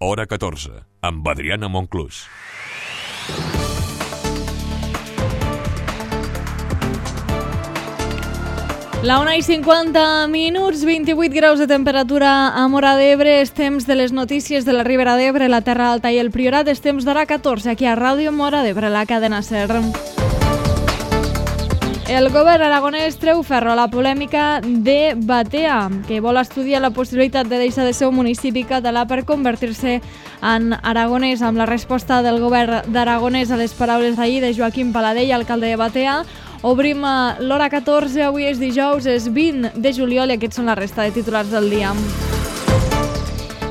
Hora 14, amb Adriana Monclús. La 1:50, 28 graus de temperatura a Móra d'Ebre. És temps de les notícies de la Ribera d'Ebre, la Terra Alta i el Priorat. És temps d'Hora 14, aquí a Ràdio Móra d'Ebre, la cadena SER. El govern aragonès treu ferro a la polèmica de Batea, que vol estudiar la possibilitat de deixar de ser un municipi català per convertir-se en aragonès. Amb la resposta del govern d'Aragonès a les paraules d'ahir de Joaquim Paladell, alcalde de Batea, obrim l'Hora 14, avui és dijous, és 20 de juliol i aquests són la resta de titulars del dia.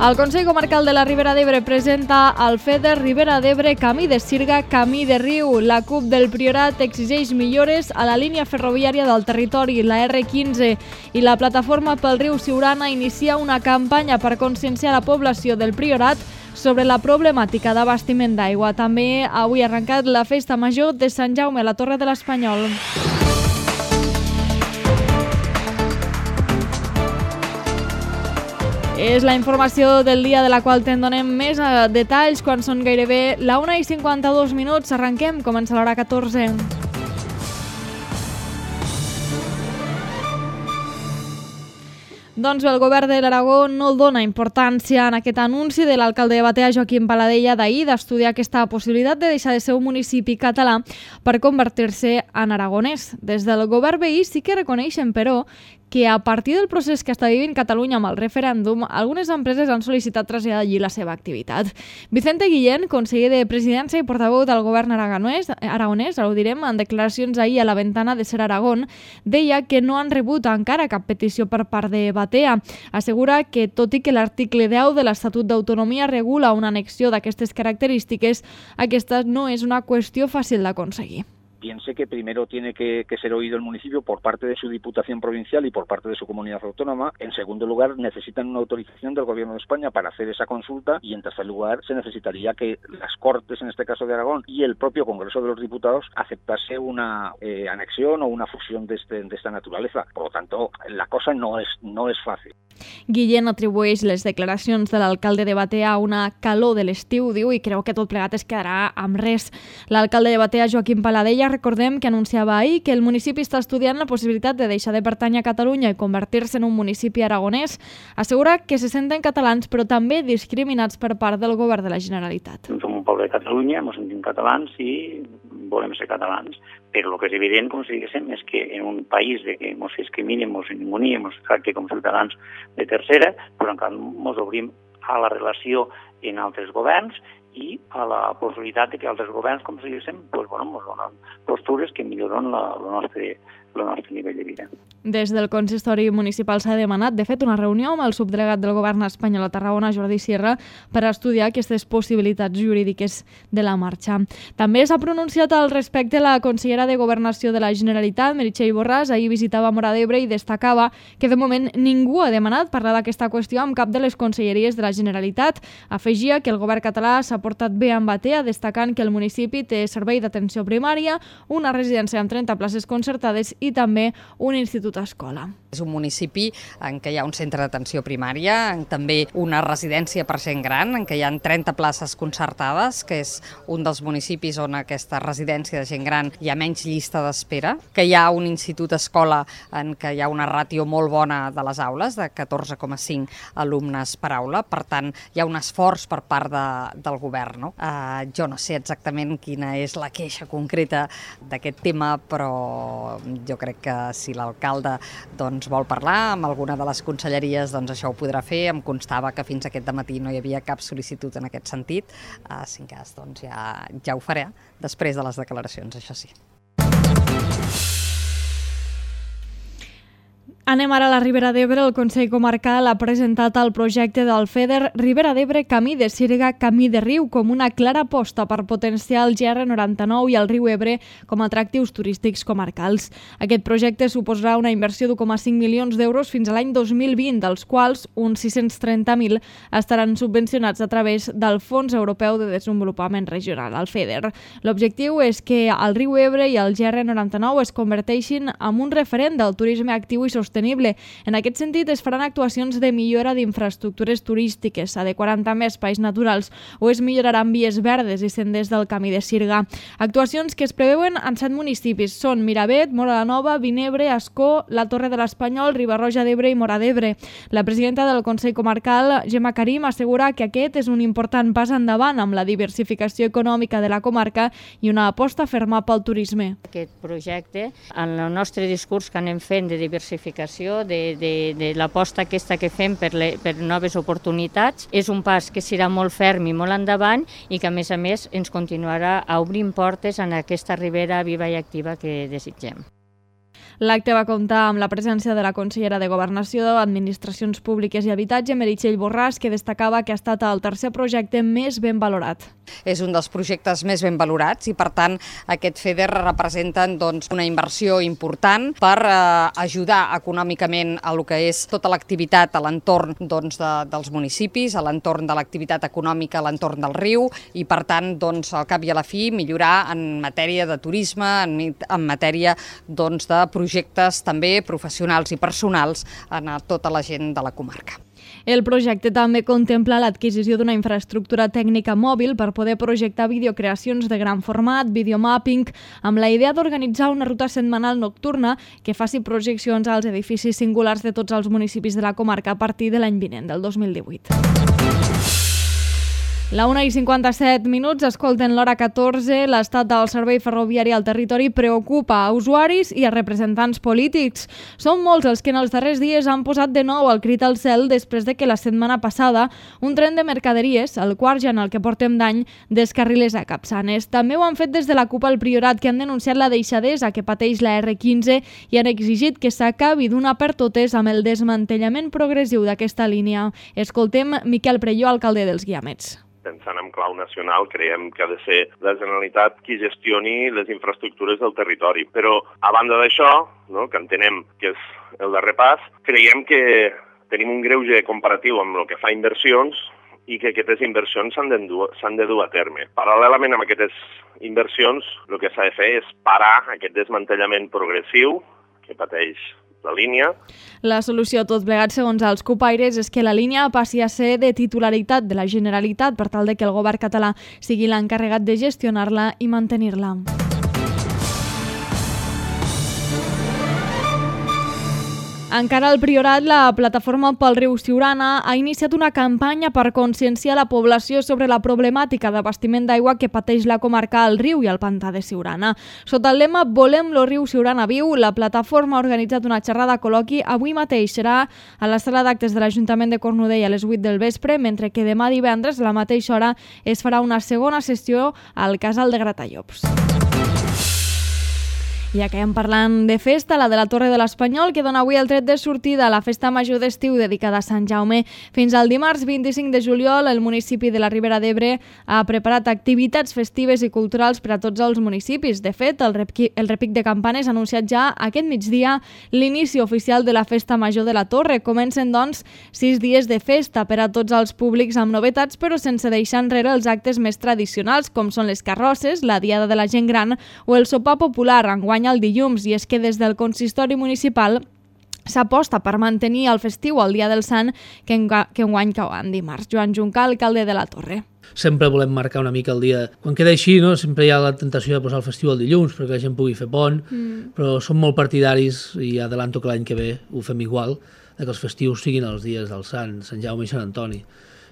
El Consell Comarcal de la Ribera d'Ebre presenta el FEDER Ribera d'Ebre Camí de Sirga, Camí de Riu. La CUP del Priorat exigeix millores a la línia ferroviària del territori, la R15, i la Plataforma pel Riu Siurana inicia una campanya per conscienciar la població del Priorat sobre la problemàtica d'abastiment d'aigua. També avui ha arrencat la festa major de Sant Jaume a la Torre de l'Espanyol. És la informació del dia de la qual te'n donem més detalls quan són gairebé la 1:52. Arrenquem, comença l'Hora 14. Doncs bé, el govern de l'Aragó no dona importància en aquest anunci de l'alcalde de Batea, Joaquim Paladella, d'ahir d'estudiar aquesta possibilitat de deixar de ser un municipi català per convertir-se en aragonès. Des del govern veí sí que reconeixen, però, que a partir del procés que està vivint Catalunya amb el referèndum, algunes empreses han sol·licitat traslladar allí la seva activitat. Vicente Guillén, conseller de Presidència i portaveu del govern aragonès, ho direm, en declaracions ahir a la Ventana de Ser Aragón, deia que no han rebut encara cap petició per part de Batea. Assegura que, tot i que l'article 10 de l'Estatut d'Autonomia regula una annexió d'aquestes característiques, aquesta no és una qüestió fàcil d'aconseguir. Piense que primero tiene que ser oído el municipio por parte de su Diputación Provincial y por parte de su comunidad autónoma. En segundo lugar, necesitan una autorización del Gobierno de España para hacer esa consulta y, en tercer lugar, se necesitaría que las Cortes, en este caso de Aragón, y el propio Congreso de los Diputados aceptase una anexión o una fusión de esta naturaleza. Por lo tanto, la cosa no es fácil. Guillén atribueix les declaracions de l'alcalde de Batea a una calor de l'estiu, diu, i creu que tot plegat es quedarà amb res. L'alcalde de Batea, Joaquim Paladella, recordem que anunciava ahir que el municipi està estudiant la possibilitat de deixar de pertànyer a Catalunya i convertir-se en un municipi aragonès. Assegura que se senten catalans, però també discriminats per part del govern de la Generalitat. Som un poble de Catalunya, ens sentim catalans i volem ser catalans, però el que és evident, com si diguéssim, és que en un país de que ens discriminem, ens ningunim, ens tracti com ciutadans de tercera, però encara ens obrim a la relació en altres governs i a la possibilitat de que altres governs, com si diguéssim, ens donen postures que milloren el nostre nivell de vida. Des del consistori municipal s'ha demanat, de fet, una reunió amb el subdelegat del govern espanyol a Tarragona, Jordi Sierra, per estudiar aquestes possibilitats jurídiques de la marxa. També s'ha pronunciat al respecte la consellera de Governació de la Generalitat, Meritxell Borràs. Ahir visitava Móra d'Ebre i destacava que de moment ningú ha demanat parlar d'aquesta qüestió amb cap de les conselleries de la Generalitat. Afegia que el govern català s'ha portat bé amb Batea, destacant que el municipi té servei d'atenció primària, una residència amb 30 places concertades i també un institut escola. És un municipi en què hi ha un centre d'atenció primària, també una residència per gent gran, en què hi ha 30 places concertades, que és un dels municipis on aquesta residència de gent gran hi ha menys llista d'espera, que hi ha un institut escola en què hi ha una ràtio molt bona de les aules, de 14,5 alumnes per aula, per tant hi ha un esforç per part del govern. No? Jo no sé exactament quina és la queixa concreta d'aquest tema, però jo crec que si l'alcalde vol parlar amb alguna de les conselleries, doncs això ho podrà fer. Em constava que fins aquest dematí no hi havia cap sol·licitud en aquest sentit. Si en cas, doncs ja ho faré després de les declaracions, això sí. Anem ara a la Ribera d'Ebre. El Consell Comarcal ha presentat el projecte del FEDER Ribera d'Ebre Camí de Sirga, Camí de Riu com una clara aposta per potenciar el GR99 i el riu Ebre com a atractius turístics comarcals. Aquest projecte suposarà una inversió d'1,5 milions d'euros fins a l'any 2020, dels quals uns 630.000 estaran subvencionats a través del Fons Europeu de Desenvolupament Regional, el FEDER. L'objectiu és que el riu Ebre i el GR99 es converteixin en un referent del turisme actiu i sostenible sostenible. En aquest sentit, es faran actuacions de millora d'infraestructures turístiques, s'adequaran també espais naturals o es milloraran vies verdes i senders del Camí de Sirga. Actuacions que es preveuen en 7 municipis. Són Miravet, Móra la Nova, Vinebre, Ascó, la Torre de l'Espanyol, Riba-roja d'Ebre i Móra d'Ebre. La presidenta del Consell Comarcal, Gemma Karim, assegura que aquest és un important pas endavant amb la diversificació econòmica de la comarca i una aposta ferma pel turisme. Aquest projecte, en el nostre discurs que anem fent de diversificació, de l'aposta aquesta que fem per noves oportunitats, és un pas que serà molt ferm i molt endavant i que, a més, ens continuarà obrint portes en aquesta ribera viva i activa que desitgem. L'acte va comptar amb la presència de la consellera de Governació, Administracions Públiques i Habitatge, Meritxell Borràs, que destacava que ha estat el tercer projecte més ben valorat. És un dels projectes més ben valorats i, per tant, aquest FEDER representen una inversió important per ajudar econòmicament a lo que és tota l'activitat a l'entorn dels municipis, a l'entorn de l'activitat econòmica a l'entorn del riu i, per tant, al cap i a la fi, millorar en matèria de turisme, en matèria de projectes també professionals i personals a tota la gent de la comarca. El projecte també contempla l'adquisició d'una infraestructura tècnica mòbil per poder projectar videocreacions de gran format, videomapping, amb la idea d'organitzar una ruta setmanal nocturna que faci projeccions als edificis singulars de tots els municipis de la comarca a partir de l'any vinent, del 2018. La 1:57, escolten l'hora 14. L'estat del servei ferroviari al territori preocupa a usuaris i a representants polítics. Són molts els que en els darrers dies han posat de nou el crit al cel després de que la setmana passada un tren de mercaderies, el quart ja en el que portem d'any, descarrilés a Capçanes. També ho han fet des de la CUP al Priorat, que han denunciat la deixadesa que pateix la R15 i han exigit que s'acabi d'una per totes amb el desmantellament progressiu d'aquesta línia. Escoltem Miquel Prelló, alcalde dels Guiamets. Pensant en clau nacional, creiem que ha de ser la Generalitat qui gestioni les infraestructures del territori. Però, a banda d'això, que entenem que és el darrer pas, creiem que tenim un greuge comparatiu amb el que fa inversions i que aquestes inversions s'han de dur a terme. Paral·lelament amb aquestes inversions, el que s'ha de fer és parar aquest desmantellament progressiu que pateix la línia. La solució a tot plegat, segons els cupaires, és que la línia passi a ser de titularitat de la Generalitat per tal de que el govern català sigui l'encarregat de gestionar-la i mantenir-la. Encara al Priorat, la plataforma pel riu Siurana ha iniciat una campanya per conscienciar la població sobre la problemàtica d'abastiment d'aigua que pateix la comarca al riu i al pantà de Siurana. Sota el lema Volem lo riu Siurana viu, la plataforma ha organitzat una xerrada col·loqui avui mateix. Serà a la sala d'actes de l'Ajuntament de Cornudella a les 8 del vespre, mentre que demà divendres a la mateixa hora es farà una segona sessió al Casal de Gratallops. I acabem parlant de festa, la de la Torre de l'Espanyol, que dona avui el tret de sortida a la festa major d'estiu dedicada a Sant Jaume. Fins al dimarts 25 de juliol, el municipi de la Ribera d'Ebre ha preparat activitats festives i culturals per a tots els municipis. De fet, el repic de campanes ha anunciat ja aquest migdia l'inici oficial de la festa major de la Torre. Comencen, doncs, 6 dies de festa per a tots els públics amb novetats, però sense deixar enrere els actes més tradicionals, com són les carrosses, la diada de la gent gran o el sopar popular, enguany el dilluns. I és que des del consistori municipal s'aposta per mantenir el festiu al Dia del Sant, que enguany cau en dimarts. Joan Juncal, alcalde de la Torre. Sempre volem marcar una mica el dia. Quan queda així, sempre hi ha la tentació de posar el festiu el dilluns perquè la gent pugui fer pont, però som molt partidaris, i adelanto que l'any que ve ho fem igual, que els festius siguin els dies del Sant Jaume i Sant Antoni.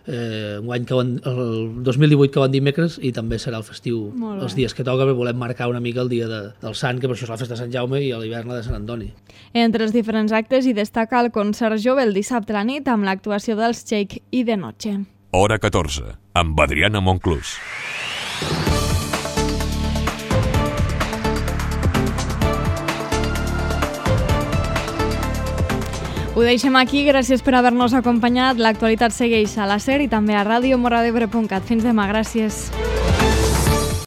El 2018 cau en dimecres i també serà el festiu els dies que toca, perquè volem marcar una mica el dia del Sant, que per això és la festa de Sant Jaume, i a l'hivern la de Sant Antoni. Entre els diferents actes hi destaca el concert jove el dissabte a la nit amb l'actuació dels Shake i de Noche. Hora 14, amb Adriana Monclús. Ho deixem aquí, gràcies per haver-nos acompanyat. L'actualitat segueix a la SER i també a radiomoradebre.cat. Fins demà, gràcies.